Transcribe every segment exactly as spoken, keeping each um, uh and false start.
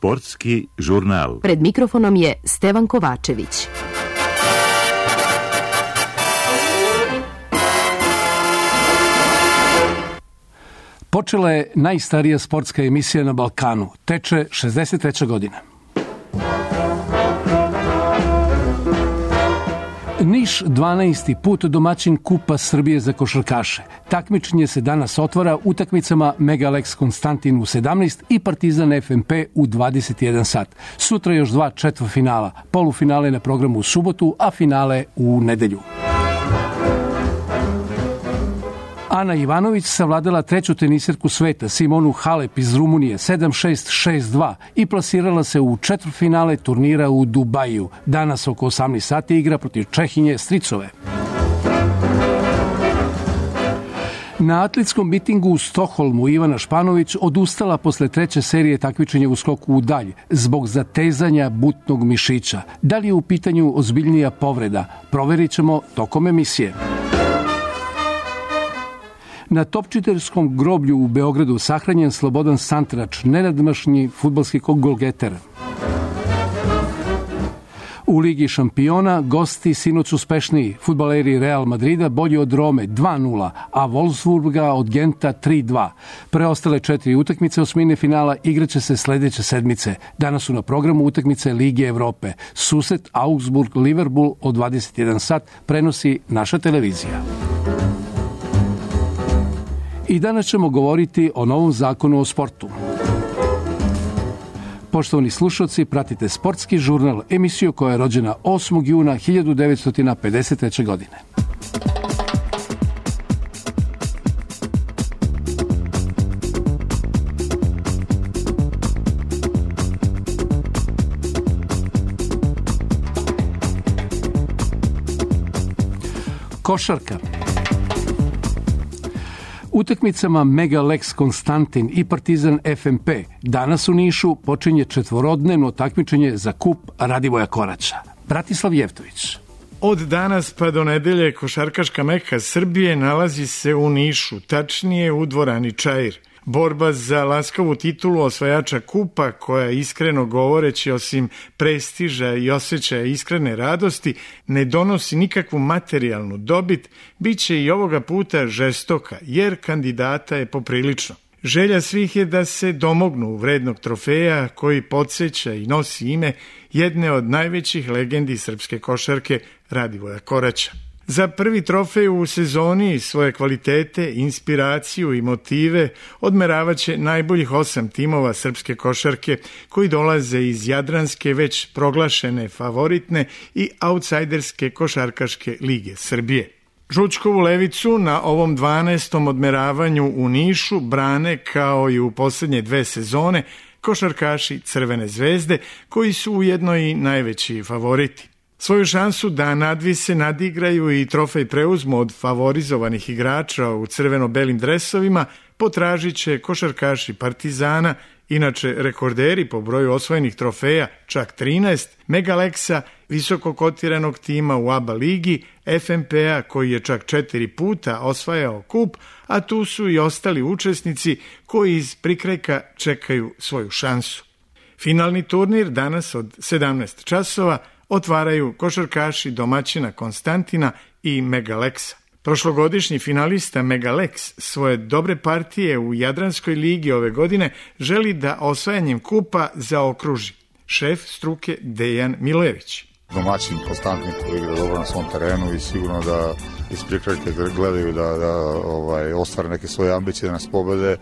Sportski žurnal. Pred mikrofonom je Stevan Kovačević. Počela je najstarija sportska emisija na Balkanu. Teče šezdeset treća godina. Niš dvanaesti put domaćin Kupa Srbije za košarkaše. Takmičenje se danas otvara utakmicama Megalex Konstantin u sedamnaest i Partizan F M P u dvadeset jedan sat. Sutra još dva četvrtfinala. Polufinale na programu u subotu, a finale u nedelju. Ana Ivanović savladala treću tenisirku sveta Simonu Halep iz Rumunije sedam šest šest dva i plasirala se u četvrtfinale turnira u Dubaju. Danas oko osamnaest sati igra protiv Čehinje Stricove. Na atletskom mitingu u Stokholmu Ivana Španović odustala posle treće serije takmičenja u skoku u dalj zbog zatezanja butnog mišića. Da li je u pitanju ozbiljnija povreda? Proverit ćemo tokom emisije. Na Topčiterskom groblju u Beogradu sahranjen Slobodan Santrač, nenadmašni fudbalski golgeter. U Ligi šampiona gosti sinoć uspešniji, fudbaleri Real Madrida bolji od Rome dva nula, a Wolfsburga od Genta tri dva. Preostale četiri utakmice osmine finala igraće se sledeće sedmice. Danas su na programu utakmice Lige Evrope. Susret Augsburg-Liverpool od dvadeset jedan sat prenosi naša televizija. I danas ćemo govoriti o novom zakonu o sportu. Poštovani slušalci, pratite Sportski žurnal, emisiju koja je rođena osmog juna hiljadu devetsto pedeset treće. godine. Košarka. Utakmicama Megalex Konstantin i Partizan F M P danas u Nišu počinje četvorodnevno takmičenje za kup Radivoja Koraća. Bratislav Jevtović. Od danas pa do nedelje košarkaška meka Srbije nalazi se u Nišu, tačnije u dvorani Čair. Borba za laskavu titulu osvajača kupa, koja iskreno govoreći osim prestiža i osjećaja iskrene radosti ne donosi nikakvu materijalnu dobit, bit će i ovoga puta žestoka, jer kandidata je poprilično. Želja svih je da se domognu vrednog trofeja koji podsjeća i nosi ime jedne od najvećih legendi srpske košarke, Radivoja Koraća. Za prvi trofej u sezoni svoje kvalitete, inspiraciju i motive odmeravaće najboljih osam timova srpske košarke koji dolaze iz jadranske već proglašene favoritne i outsajderske košarkaške lige Srbije. Žučkovu levicu na ovom dvanaestom odmeravanju u Nišu brane kao i u poslednje dve sezone košarkaši Crvene zvezde koji su ujedno i najveći favoriti. Svoju šansu da nadvise, nadigraju i trofej preuzmu od favorizovanih igrača u crveno-belim dresovima potražit će košarkaši Partizana, inače rekorderi po broju osvojenih trofeja, čak trinaest, Megaleksa, visoko kotiranog tima u A B A ligi, F M P-a koji je čak četiri puta osvajao kup, a tu su i ostali učesnici koji iz prikrajka čekaju svoju šansu. Finalni turnir danas od sedamnaest časova otvaraju košarkaši domaćina Konstantina i Megaleksa. Prošlogodišnji finalista Megalex svoje dobre partije u Jadranskoj ligi ove godine želi da osvajanjem kupa zaokruži. Šef struke Dejan Milojević. Domaćin Konstantin koji igra dobro na svom terenu i sigurno da iz prikrajke gledaju da, da ovaj, ostvare neke svoje ambicije da nas pobede.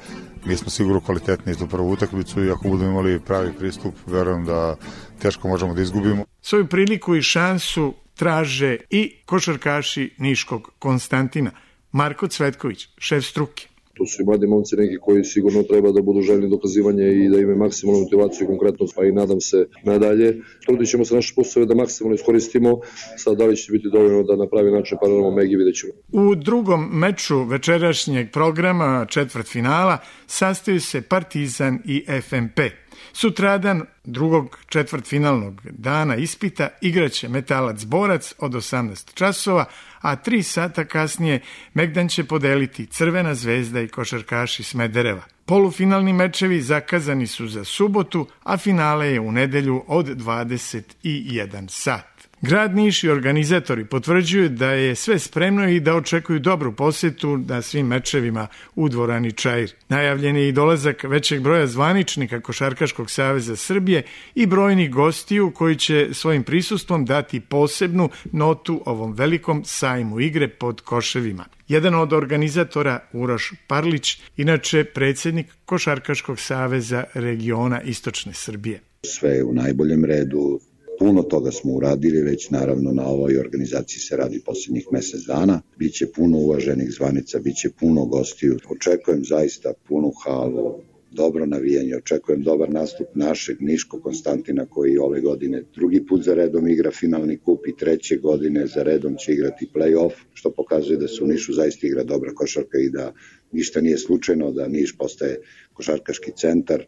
Mi smo sigurno kvalitetni za prvu utakmicu i ako budemo imali pravi pristup, verujem da teško možemo da izgubimo. Svoju priliku i šansu traže i košarkaši niškog Konstantina. Marko Cvetković, šef struke. To su i mladi momci neki koji sigurno treba da budu željni dokazivanja i da imaju maksimalnu motivaciju i konkretnost, pa i nadam se nadalje. Trudit ćemo se naše poslove da maksimalno iskoristimo, sad da li će biti dovoljno da na pravi način paralelno Megi, vidjet ćemo. U drugom meču večerašnjeg programa četvrtfinala sastaju se Partizan i F M P. Sutradan, drugog četvrtfinalnog dana ispita, igraće Metalac Borac od osamnaest časova, a tri sata kasnije Megdan će podeliti Crvena zvezda i košarkaši Smedereva. Polufinalni mečevi zakazani su za subotu, a finale je u nedelju od dvadeset jedan sat. Grad Niš i organizatori potvrđuju da je sve spremno i da očekuju dobru posetu na svim mečevima u dvorani Čair. Najavljen je i dolazak većeg broja zvaničnika Košarkaškog saveza Srbije i brojnih gostiju koji će svojim prisustvom dati posebnu notu ovom velikom sajmu igre pod koševima. Jedan od organizatora, Uroš Parlić, inače predsjednik Košarkaškog saveza regiona Istočne Srbije. Sve je u najboljem redu. Puno toga smo uradili, već naravno na ovoj organizaciji se radi posljednjih mjesec dana. Biće puno uvaženih zvanica, biće puno gostiju. Očekujem zaista punu halu, dobro navijanje, očekujem dobar nastup našeg Niškog Konstantina koji ove godine drugi put za redom igra finalni kup i treće godine za redom će igrati play-off, što pokazuje da se u Nišu zaista igra dobra košarka i da ništa nije slučajno, da Niš postaje košarkaški centar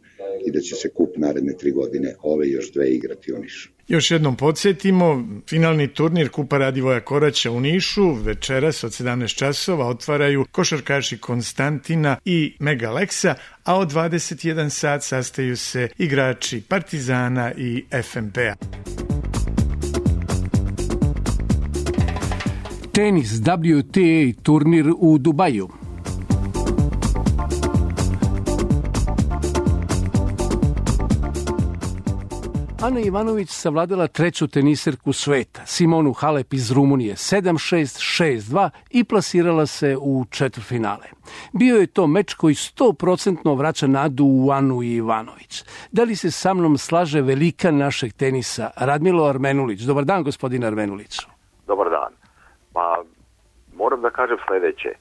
i da će se kup naredne tri godine ove još dve igrati u Nišu. Još jednom podsjetimo, finalni turnir Kupa Radivoja Koraća u Nišu večeras od sedamnaest časova otvaraju košarkaši Konstantina i Megaleksa, a od dvadeset jedan sat sastaju se igrači Partizana i F M P-a. Tenis W T A turnir u Dubaju. Ana Ivanović savladala treću teniserku sveta, Simonu Halep iz Rumunije, sedam šest, šest dva i plasirala se u četvrtfinale. Bio je to meč koji sto posto vraća nadu u Anu Ivanović. Da li se sa mnom slaže velika našeg tenisa, Radmilo Armenulić? Dobar dan, gospodine Armenuliću. Dobar dan. Pa, moram da kažem sledeće. E,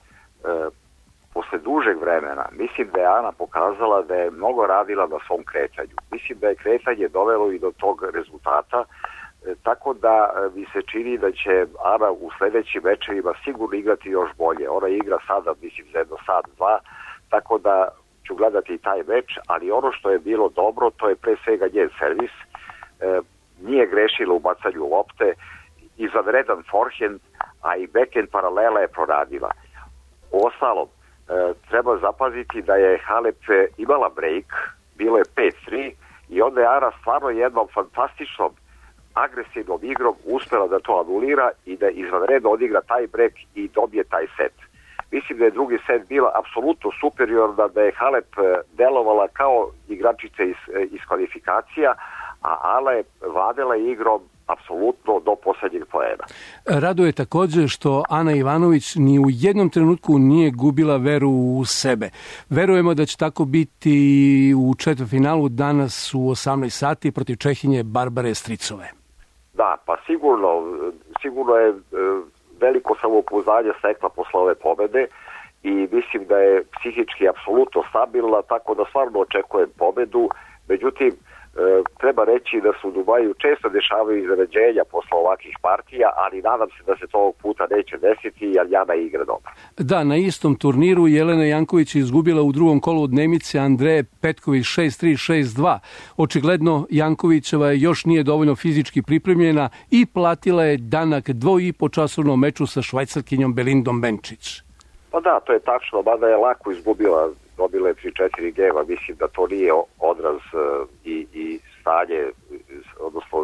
posle dužeg vremena, mislim da je Ana pokazala da je mnogo radila na svom kretanju. Mislim da je kretanje dovelo i do tog rezultata, e, tako da e, mi se čini da će Ana u sledećim mečevima sigurno igrati još bolje. Ona igra sada, mislim, za jedno sat, dva, tako da ću gledati i taj meč, ali ono što je bilo dobro, to je pre svega njen servis. E, nije grešila u bacanju lopte, izvanredan forehand, a i backhand paralela je proradila. Uostalom, e, treba zapaziti da je Halep imala break, bilo je pet tri i onda je Ana stvarno jednom fantastičnom agresivnom igrom uspela da to anulira i da izvanredno odigra taj break i dobije taj set. Mislim da je drugi set bila apsolutno superiorna, da je Halep delovala kao igračica iz, iz kvalifikacija, a Ana je vladala igrom apsolutno do poslednjeg poena. Raduje također što Ana Ivanović ni u jednom trenutku nije gubila veru u sebe. Verujemo da će tako biti u četvrtfinalu danas u osamnaest sati protiv Čehinje Barbare Stricove. Da, pa sigurno, sigurno je veliko samopouzdanje stekla posle ove pobede i mislim da je psihički apsolutno stabilna, tako da stvarno očekujem pobedu. Međutim, treba reći da se u Dubaju često dešavaju iznenađenja posle ovakvih partija, ali nadam se da se to ovog puta neće desiti, jer Jana igra dobro. Da, na istom turniru Jelena Janković je izgubila u drugom kolu od Nemice Andreje Petković šest tri, šest dva. Očigledno Jankovićeva još nije dovoljno fizički pripremljena i platila je danak dvo i po časovnom meču sa Švajcarkinjom Belindom Benčić. Pa da, to je tačno, mada je lako izgubila, dobila je tri četiri gema, mislim da to nije odraz uh, i, i stanje, odnosno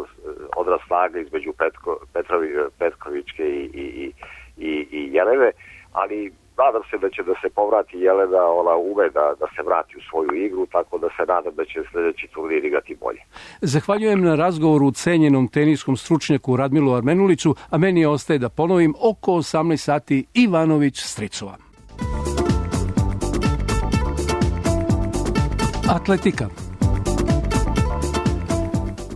odraz snage između Petko, Petrovi, Petkovićke i, i, i, i Jelene, ali nadam se da će da se povrati Jelena, ona ume da, da se vrati u svoju igru, tako da se nadam da će sljedeći turnir igrati bolje. Zahvaljujem na razgovoru cenjenom teniskom stručnjaku Radmilu Armenuliću, a meni ostaje da ponovim oko osamnaest sati Ivanović Stricova. Atletika.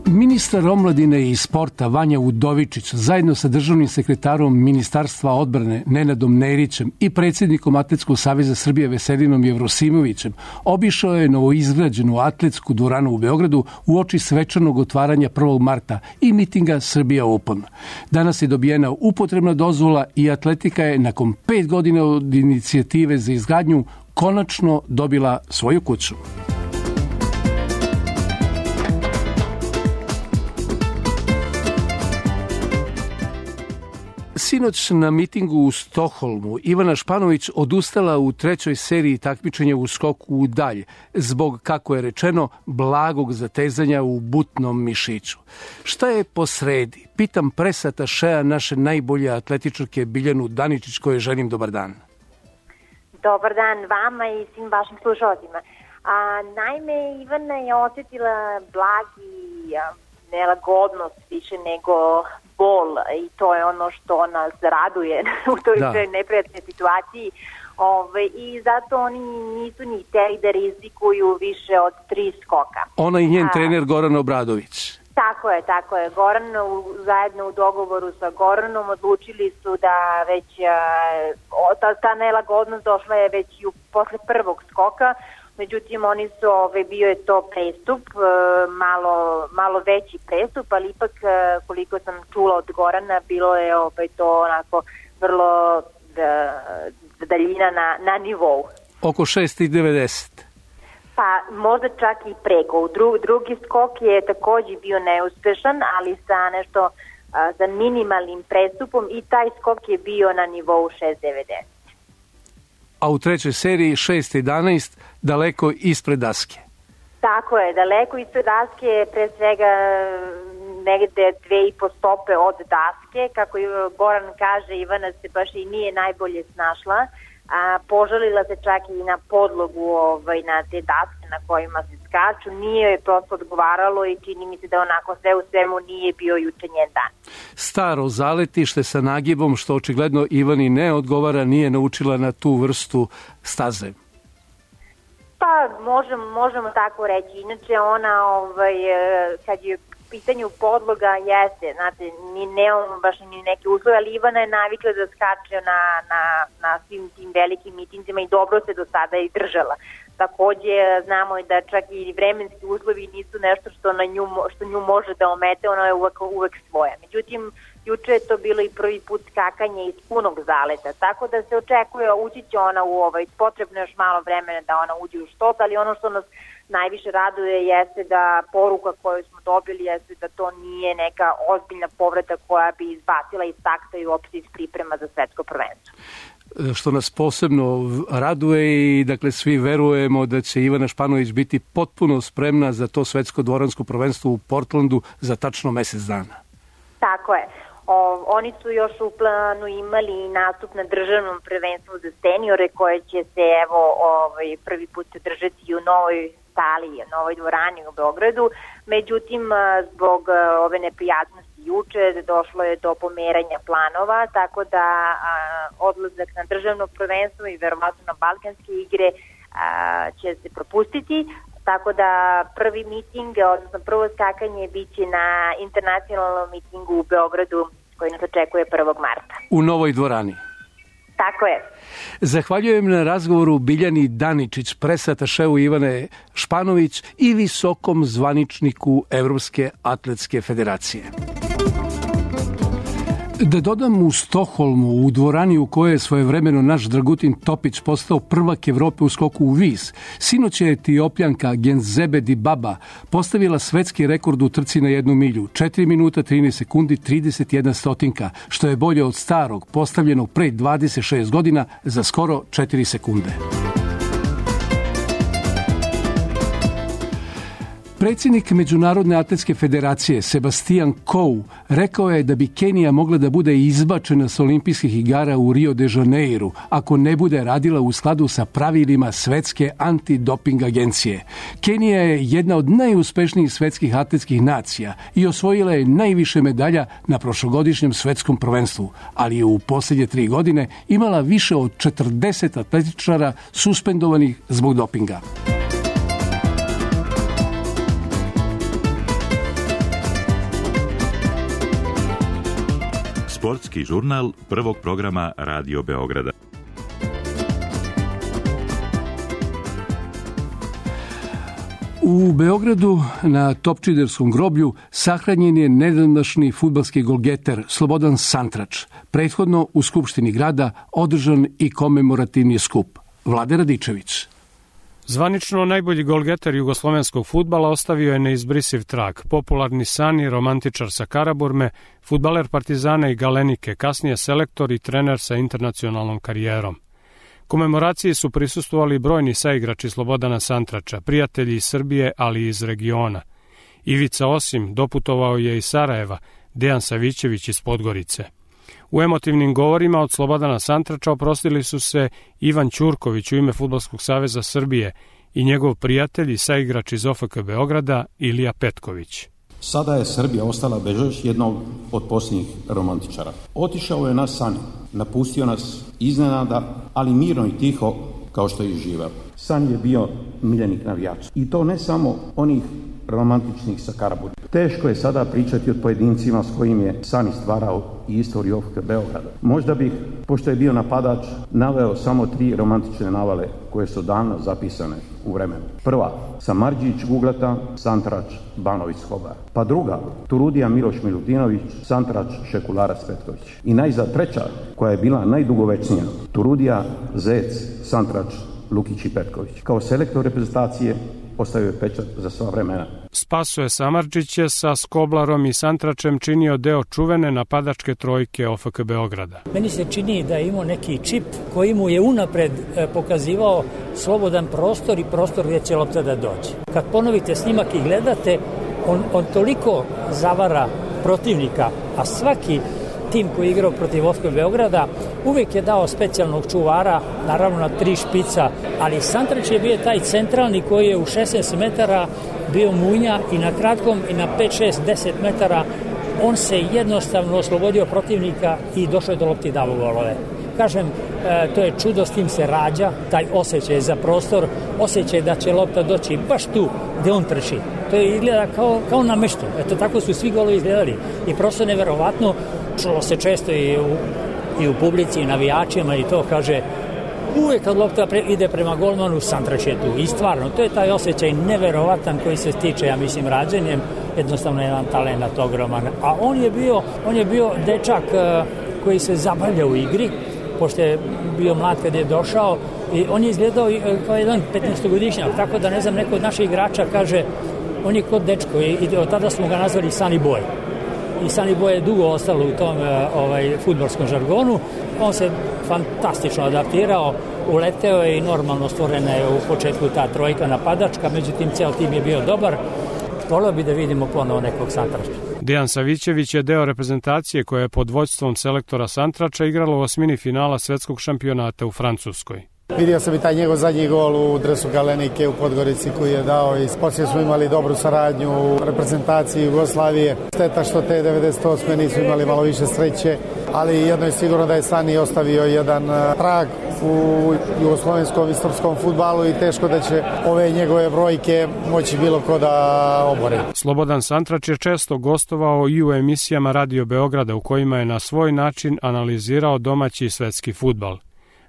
Ministar omladine i sporta Vanja Udovičić zajedno sa državnim sekretarom Ministarstva odbrane Nenadom Nerićem i predsjednikom Atletskog saveza Srbije Veselinom Jevrosimovićem obišao je novoizgrađenu atletsku dvoranu u Beogradu uoči svečanog otvaranja prvog marta i mitinga Srbija Open. Danas je dobijena upotrebna dozvola i atletika je nakon pet godina od inicijative za izgradnju konačno dobila svoju kuću. Sinoć na mitingu u Stokholmu Ivana Španović odustala u trećoj seriji takmičenja u skoku u dalj zbog, kako je rečeno, blagog zatezanja u butnom mišiću. Šta je posredi? Pitam presatašea naše najbolje atletičarke Biljanu Daničić, koje želim dobar dan. Dobar dan vama i svim vašim slušalcima. A, naime, Ivana je osjetila blagi a, nelagodnost više nego bol i to je ono što nas raduje u toj da. neprijatnoj situaciji. Ove, I zato oni nisu ni hteli da rizikuju više od tri skoka. Ona i njen A, trener Goran Obradović. Tako je, tako je. Goran, u, zajedno u dogovoru sa Goranom odlučili su da već a, ta, ta nelagodnost došla je već i u, posle prvog skoka. Međutim, oni su, ove, bio je to prestup, malo, malo veći prestup, ali ipak, koliko sam čula od Gorana, bilo je ove, to onako vrlo da, daljina na, na nivou. Oko šest devedeset. Pa možda čak i preko. Dru, drugi skok je također bio neuspešan, ali sa nešto, a, sa minimalnim prestupom i taj skok je bio na nivou šest devedeset. A u trećoj seriji šest jedanaest daleko ispred daske. Tako je, daleko ispred daske, pre svega negde dve i po stope od daske. Kako Goran kaže, Ivana se baš i nije najbolje snašla. A, požalila se čak i na podlogu ovaj, na te daske na kojima se skaču. Nije je prosto odgovaralo i čini mi se da onako sve u svemu nije bio juče njen dan. Staro zaletište sa nagibom, što očigledno Ivani ne odgovara, nije naučila na tu vrstu staze. Pa možemo, možemo tako reći. Inače ona ovaj, kad je pitanju podloga jeste, znate, ni nemamo baš ni neke uslove, ali Ivana je navikla da skače na, na, na svim tim velikim mitinzima i dobro se do sada i držala. Takođe znamo i da čak i vremenski uslovi nisu nešto što, na nju, što nju može da omete, ona je uvek, uvek svoja. Međutim, juče je to bilo i prvi put skakanje iz punog zaleta, tako da se očekuje, ući će ona u ovaj, potrebno još malo vremena da ona uđe u štot, ali ono što nas najviše raduje jeste da poruka koju smo dobili jeste da to nije neka ozbiljna povreda koja bi izbacila iz takta i uopšte iz priprema za svetsko prvenstvo. Što nas posebno raduje i dakle svi verujemo da će Ivana Španović biti potpuno spremna za to svetsko dvoransko prvenstvo u Portlandu za tačno mesec dana. Tako je. O, oni su još u planu imali nastup na državnom prvenstvu za seniore koje će se evo ovaj, prvi put držati u novoj sali, u novoj dvorani u Beogradu. Međutim, zbog ove neprijatnosti juče došlo je do pomeranja planova, tako da a, odlazak na državno prvenstvo i verovatno na balkanske igre a, će se propustiti. Tako da prvi miting, odnosno prvo skakanje biće na internacionalnom mitingu u Beogradu koji nas očekuje prvog marta. U novoj dvorani. Tako je. Zahvaljujem na razgovoru Biljani Daničić, presatašeu Ivane Španović i visokom zvaničniku Evropske atletske federacije. Da dodam, u Stokholmu, u dvorani u kojoj je svojevremeno naš Dragutin Topić postao prvak Evrope u skoku u vis, sinoć je Etiopljanka Genzebe Dibaba postavila svetski rekord u trci na jednu milju, četiri minuta trinaest sekundi trideset jedna stotinka, što je bolje od starog, postavljenog pre dvadeset šest godina za skoro četiri sekunde. Predsjednik Međunarodne atletske federacije Sebastian Coe rekao je da bi Kenija mogla da bude izbačena s olimpijskih igara u Rio de Janeiru ako ne bude radila u skladu sa pravilima Svetske antidoping agencije. Kenija je jedna od najuspešnijih svetskih atletskih nacija i osvojila je najviše medalja na prošlogodišnjem svetskom prvenstvu, ali je u posljednje tri godine imala više od četrdeset atletičara suspendovanih zbog dopinga. Sportski žurnal prvog programa Radio Beograda. U Beogradu na Topčiderskom groblju sahranjen je nedavnašnji fudbalski golgeter Slobodan Santrač. Prethodno u Skupštini grada održan i komemorativni skup. Vlade Radičević. Zvanično najbolji golgeter jugoslovenskog fudbala ostavio je neizbrisiv trag. Popularni Sani, romantičar sa Karaburme, fudbaler Partizana i Galenike, kasnije selektor i trener sa internacionalnom karijerom. Komemoraciji su prisustvovali brojni saigrači Slobodana Santrača, prijatelji iz Srbije, ali i iz regiona. Ivica Osim doputovao je iz Sarajeva, Dejan Savićević iz Podgorice. U emotivnim govorima od Slobodana Santrača oprostili su se Ivan Ćurković u ime Fudbalskog saveza Srbije i njegov prijatelj i saigrač iz O F K Beograda Ilija Petković. Sada je Srbija ostala bez još jednog od posljednjih romantičara. Otišao je nas Sani, napustio nas iznenada, ali mirno i tiho kao što je živeo. Sani je bio miljenik navijača. I to ne samo onih romantičnih sa Karaburme. Teško je sada pričati o pojedincima s kojim je Sani stvarao i istoriju O F K Beograda. Možda bih, pošto je bio napadač, naveo samo tri romantične navale koje su davno zapisane u vremenu. Prva, Samardžić Guglata, Santrač Banović Skobar. Pa druga, Turudija Miloš Milutinović, Santrač Šekularac Petković. I najzad treća, koja je bila najdugovečnija, Turudija Zec, Santrač Lukić i Petković. Kao selektor reprezentacije ostavio je pečat za sva vremena. Spasoje Samardžić je sa Skoblarom i Santračem činio deo čuvene napadačke trojke O F K Beograda. Meni se čini da je imao neki čip koji mu je unapred pokazivao slobodan prostor i prostor gdje će lopta da dođe. Kad ponovite snimak i gledate, on, on toliko zavara protivnika, a svaki tim koji je igrao protiv O F K Beograda uvijek je dao specijalnog čuvara, naravno na tri špica, ali Santrač je bio taj centralni koji je u šesnaest metara bio munja i na kratkom i na pet, šest, deset metara on se jednostavno oslobodio protivnika i došao je do lopti i dao golove. Kažem, e, to je čudo, s tim se rađa, taj osjećaj za prostor, osjećaj da će lopta doći baš tu gdje on trči. To je izgleda kao, kao na meštu. Eto, tako su svi golovi izgledali. I prosto neverovatno, čulo se često i u, i u publici i navijačima i to kaže, uvijek kad lopta pre, ide prema golmanu, Santrač je tu. I stvarno, to je taj osjećaj neverovatan koji se stiče, ja mislim, rađenjem, jednostavno jedan talent ogroman. A on je bio, on je bio dečak uh, koji se zabavlja u igri, pošto je bio mlad kad je došao i on je izgledao kao jedan petnaestogodišnjak, tako da ne znam, neko od naših igrača kaže, on je kod dečko i, i od tada smo ga nazvali Sunny Boy. I Sunny Boy je dugo ostalo u tom ovaj, fudbalskom žargonu. On se fantastično adaptirao, uleteo je i normalno stvorena je u početku ta trojka napadačka, međutim cijel tim je bio dobar. Volio bi da vidimo ponovo nekog Santrača. Dejan Savićević je deo reprezentacije koja je pod vođstvom selektora Santrača igrala u osmini finala svetskog šampionata u Francuskoj. Vidio sam i taj njegov zadnji gol u dresu Galenike u Podgorici koji je dao i poslije smo imali dobru saradnju u reprezentaciji Jugoslavije. Šteta što te devedeset osme nisu imali malo više sreće, ali jedno je sigurno da je Sani ostavio jedan trag u jugoslovenskom istorskom fudbalu i teško da će ove njegove brojke moći bilo ko da obori. Slobodan Santrač je često gostovao i u emisijama Radio Beograda u kojima je na svoj način analizirao domaći i svetski fudbal.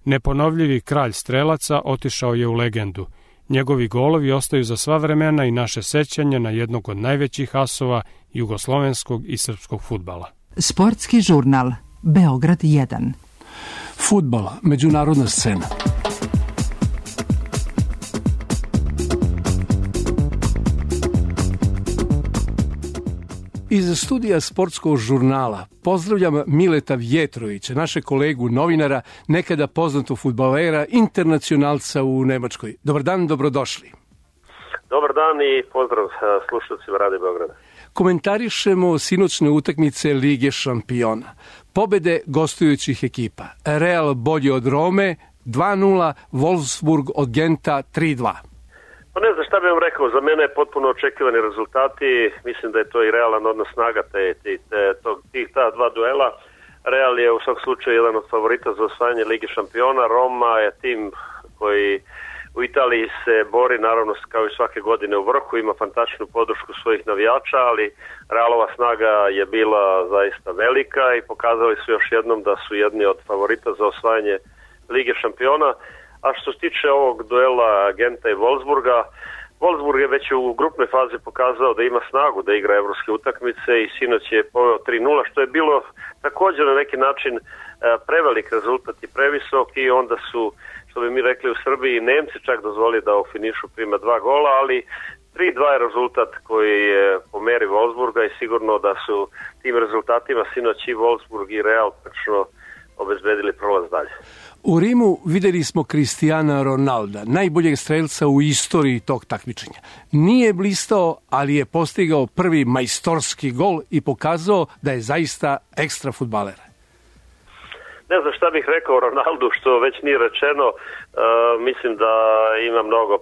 Neponovljivi kralj strelaca otišao je u legendu. Njegovi golovi ostaju za sva vremena i naše sećanje na jednog od najvećih asova jugoslovenskog i srpskog fudbala. Sportski žurnal Beograd jedan. Fudbal, međunarodna scena. Iz studija sportskog žurnala pozdravljam Mileta Vjetrovića, našeg kolegu novinara, nekada poznatog fudbalera, internacionalca u Nemačkoj. Dobar dan, dobrodošli. Dobar dan i pozdrav slušalcima Radio Beograda. Komentarišemo sinoćne utakmice Lige šampiona. Pobede gostujućih ekipa. Real bolji od Rome dva nula, Wolfsburg od Genta tri dva. Pa ne znam šta bih vam rekao, za mene je potpuno očekivani rezultati, mislim da je to i realan odnos snaga te, te, te, tog, tih ta dva duela. Real je u svakom slučaju jedan od favorita za osvajanje Lige šampiona, Roma je tim koji u Italiji se bori, naravno kao i svake godine u vrhu, ima fantastičnu podršku svojih navijača, ali Realova snaga je bila zaista velika i pokazali su još jednom da su jedni od favorita za osvajanje Lige šampiona. A što se tiče ovog duela Genta i Wolfsburga, Wolfsburg je već u grupnoj fazi pokazao da ima snagu da igra evropske utakmice i sinoć je poveo tri nula, što je bilo također na neki način prevelik rezultat i previsok i onda su, što bi mi rekli u Srbiji, Nemci čak dozvoli da u finišu prima dva gola, ali tri dva je rezultat koji je po meri Wolfsburga i sigurno da su tim rezultatima sinoć i Wolfsburg i Real prečno obezbedili prolaz dalje. U Rimu videli smo Cristiana Ronalda, najboljeg strelca u istoriji tog takmičenja. Nije blistao, ali je postigao prvi majstorski gol i pokazao da je zaista ekstra fudbaler. Ne znam šta bih rekao o Ronaldu, što već nije rečeno. E, mislim da ima mnogo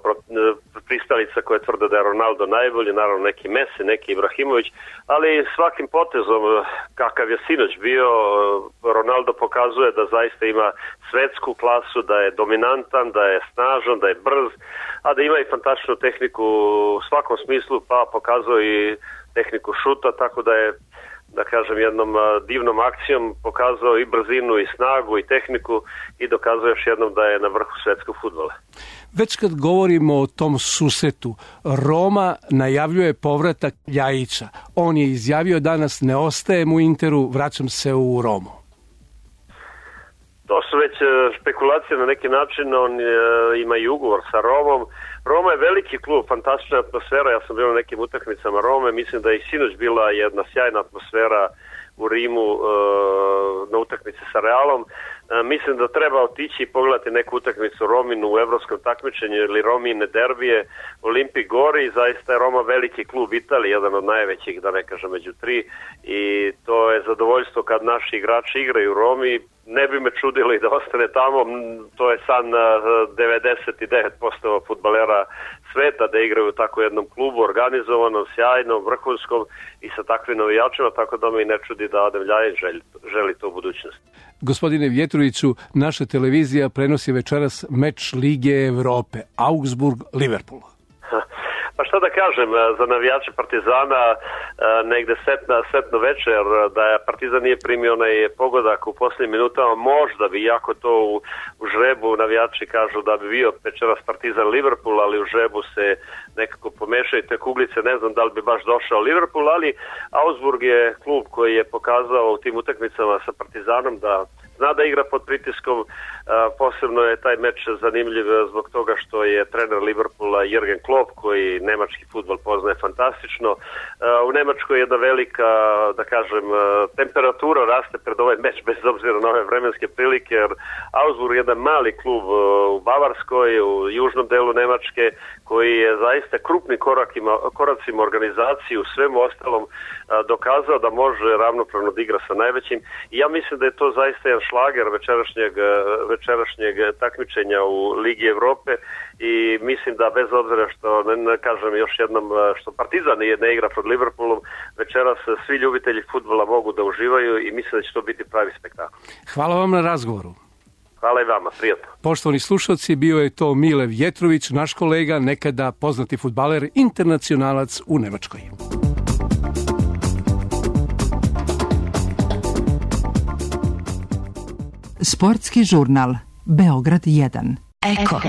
pristalica koje tvrde da je Ronaldo najbolji, naravno neki Messi, neki Ibrahimović, ali svakim potezom kakav je sinoć bio, Ronaldo pokazuje da zaista ima svetsku klasu, da je dominantan, da je snažan, da je brz, a da ima i fantastičnu tehniku u svakom smislu, pa pokazuje i tehniku šuta, tako da je, da kažem, jednom divnom akcijom pokazao i brzinu i snagu i tehniku i dokazao još jednom da je na vrhu svetskog fudbala. Već kad govorimo o tom susretu, Roma najavljuje povratak Ljajića. On je izjavio danas: ne ostajem u Interu, vraćam se u Romu. To su već špekulacije na neki način, on ima i ugovor sa Romom. Roma je veliki klub, fantastična atmosfera, ja sam bio na nekim utakmicama Rome, mislim da je i sinoć bila jedna sjajna atmosfera u Rimu na utakmici sa Realom. Mislim da treba otići i pogledati neku utakmicu Rominu u evropskom takmičenju ili Romine derbije Olimpik Gori. Zaista je Roma veliki klub Italije, jedan od najvećih, da ne kažem među tri, i to je zadovoljstvo kad naši igrači igraju u Romi. Ne bi me čudilo i da ostane tamo, to je san devedeset devet posto fudbalera sveta da igraju u tako jednom klubu, organizovanom, sjajnom, vrhunskom i sa takvim navijačima, tako da me i ne čudi da Adem Ljajić želi, želi to u budućnosti. Gospodine Vjetroviću, naša televizija prenosi večeras meč Lige Evrope, Augsburg-Liverpool. Pa šta da kažem, za navijače Partizana negde setna, setno večer, da je Partizan nije primio onaj pogodak u posljednjim minutama, možda bi, jako to u, u žrebu navijači kažu da bi bio večeras Partizan Liverpool, ali u žrebu se nekako pomešaju te kuglice, ne znam da li bi baš došao Liverpool, ali Augsburg je klub koji je pokazao u tim utakmicama sa Partizanom da zna da igra pod pritiskom. Posebno je taj meč zanimljiv zbog toga što je trener Liverpoola Jürgen Klopp, koji nemački fudbal poznaje fantastično. U Nemačkoj je jedna velika, da kažem, temperatura raste pred ovaj meč bez obzira na ove vremenske prilike, jer Augsburg je jedan mali klub u Bavarskoj, u južnom delu Nemačke, koji je zaista krupni korakima, koracima organizaciji u svemu ostalom dokazao da može ravnopravno da igra sa najvećim. I ja mislim da je to zaista jedan šlager večerašnjeg, večerašnjeg takmičenja u Ligi Evrope i mislim da bez obzira što, ne, ne kažem još jednom, što Partizan ne igra pod Liverpoolom, večeras svi ljubitelji fudbala mogu da uživaju i mislim da će to biti pravi spektakl. Hvala vam na razgovoru. Hvala i vama, prijatno. Poštovani slušalci, bio je to Mile Vjetrović, naš kolega, nekada poznati fudbaler, internacionalac u Nemačkoj. Sportski žurnal Beograd jedan. Eko.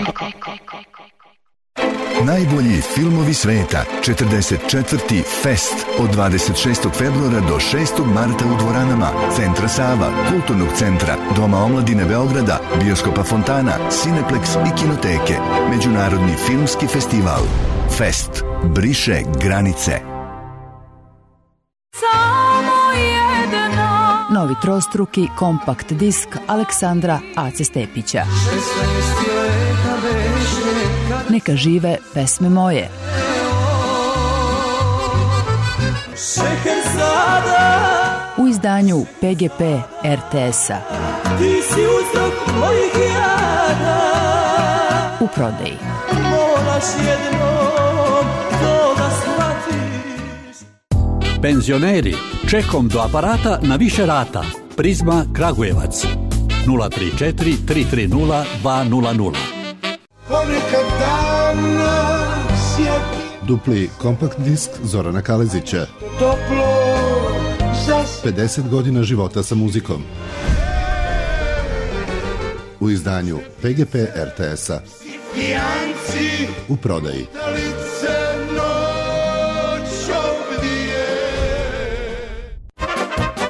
Najbolji filmovi sveta, četrdeset četvrti Fest od dvadeset šestog februara do šestog marta u dvoranama Centra Sava, Kulturnog centra, Doma omladine Beograda, Bioskopa Fontana, Cineplex i Kinoteke. Međunarodni filmski festival Fest briše granice. Novi trostruki kompakt disk Aleksandra Ace Stepića. Neka žive pesme moje. U izdanju P G P R T S-a. U prodaji. Penzioneri, čekom do aparata na više rata. Prizma Kragujevac. nula tri četiri tri tri nula dva nula nula. Dupli kompakt disk Zorana Kalezića. pedeset godina života sa muzikom. U izdanju P G P R T S-a. U prodaji.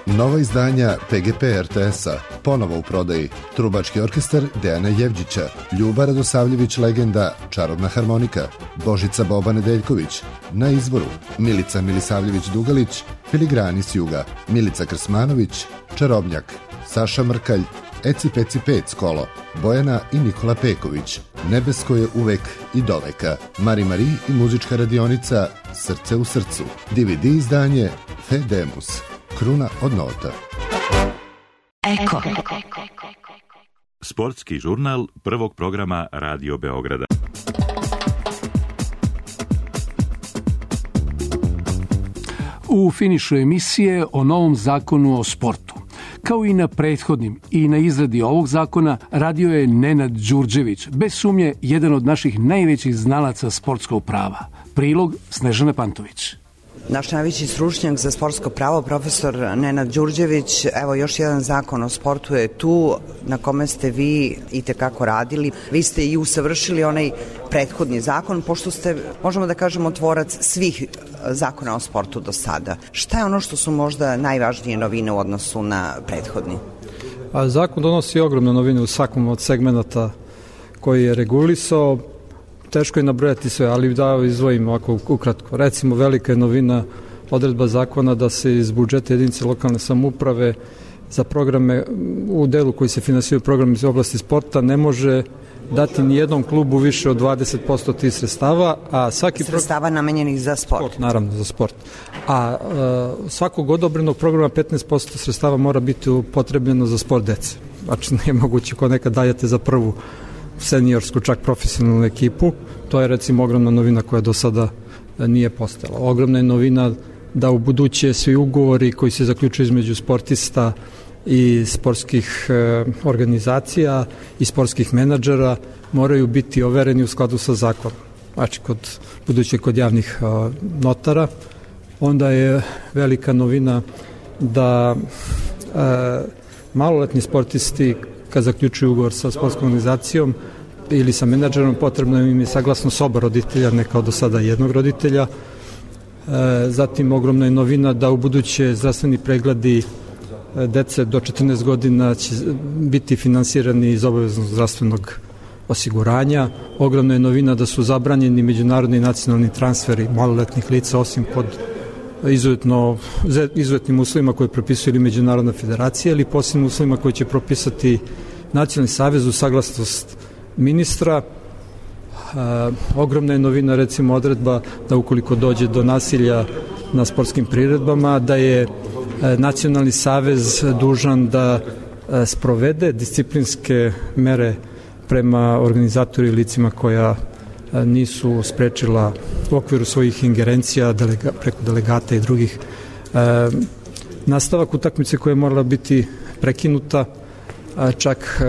Nova izdanja P G P R T S-a ponovo u prodaji. Trubački orkestar Dejana Jevđića, Ljuba Radosavljević legenda, Čarobna harmonika, Božica Boba Nedeljković, Na izvoru, Milica Milisavljević Dugalić, Filigrani s juga, Milica Krsmanović, Čarobnjak, Saša Mrkalj, Eci Peci Pec kolo, Bojana i Nikola Peković, Nebesko je uvek i doveka, Mari Mari i muzička radionica Srce u srcu, D V D izdanje Fedemus, Kruna od nota. Eko. Sportski žurnal prvog programa Radio Beograda. U finišu emisije o novom zakonu o sportu. Kao i na prethodnim i na izradi ovog zakona radio je Nenad Đurđević, bez sumnje jedan od naših najvećih znalaca sportskog prava. Prilog Snežana Pantović. Naš najveći stručnjak za sportsko pravo, profesor Nenad Đurđević, evo još jedan zakon o sportu je tu na kome ste vi i tekako radili. Vi ste i usavršili onaj prethodni zakon, pošto ste, možemo da kažemo, tvorac svih zakona o sportu do sada. Šta je ono što su možda najvažnije novine u odnosu na prethodni? A zakon donosi ogromne novine u svakom od segmenata koji je regulisao. Teško je nabrojati sve, ali da izdvojim ovako ukratko. Recimo, velika je novina odredba zakona da se iz budžeta jedinice lokalne samouprave za programe, u delu koji se finansiraju programi iz oblasti sporta, ne može dati ni jednom klubu više od dvadeset posto tih sredstava, a svaki sredstava pro... namenjenih za sport. sport. Naravno, za sport. A, a svakog odobrenog programa petnaest posto sredstava mora biti upotrebljeno za sport dece. Znači, nije moguće ko nekad dajete za prvu seniorsku, čak profesionalnu ekipu. To je recimo ogromna novina koja do sada nije postojala. Ogromna je novina da u buduće svi ugovori koji se zaključuju između sportista i sportskih e, organizacija i sportskih menadžera moraju biti overeni u skladu sa zakonom. Znači, kod, buduće kod javnih e, notara. Onda je velika novina da e, maloletni sportisti kad zaključuju ugovor sa sportskom organizacijom ili sa menadžerom, potrebno im je saglasnost oba roditelja, ne kao do sada jednog roditelja. E, zatim, ogromna je novina da u buduće zdravstveni pregledi dece do četrnaest godina će biti finansirani iz obaveznog zdravstvenog osiguranja. Ogromna je novina da su zabranjeni međunarodni i nacionalni transferi maloletnih lica, osim pod izuzetno, izuzetnim uslovima koje propisuje ili Međunarodna federacija ili posebnim uslovima koje će propisati Nacionalni savez uz saglasnost ministra. E, ogromna je novina, recimo, odredba da ukoliko dođe do nasilja na sportskim priredbama, da je e, Nacionalni savez dužan da e, sprovede disciplinske mere prema organizatoru i licima koja e, nisu sprečila u okviru svojih ingerencija delega, preko delegata i drugih. E, nastavak utakmice koja je morala biti prekinuta, a čak e,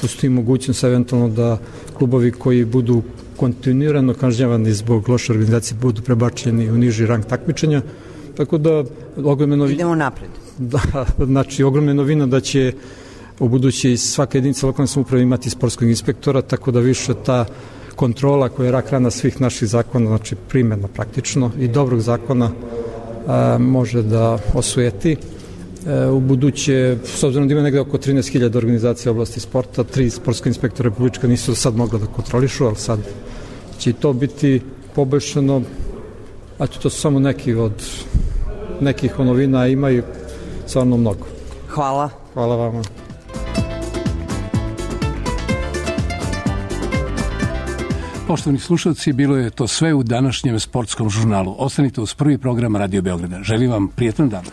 postoji mogućnost eventualno da klubovi koji budu kontinuirano kažnjavani zbog loše organizacije budu prebačeni u niži rang takmičenja. Tako da ogromna novina. Idemo napred. Da, znači ogromna novina da će u budući svaka jedinica lokalne samouprave imati sportskog inspektora, tako da više ta kontrola koja je rak rana svih naših zakona, znači primjena praktično i dobrog zakona, a, može da osujeti. E, u buduće, s obzirom da ima negde oko trinaest hiljada organizacija u oblasti sporta, tri sportska inspektora republička nisu sad mogla da kontrolišu, ali sad će to biti poboljšano. A to su samo neki od nekih novina, imaju stvarno mnogo. Hvala. Hvala vama. Poštovani slušalci, bilo je to sve u današnjem sportskom žurnalu. Ostanite uz prvi program Radio Beograda. Želim vam prijetan dan.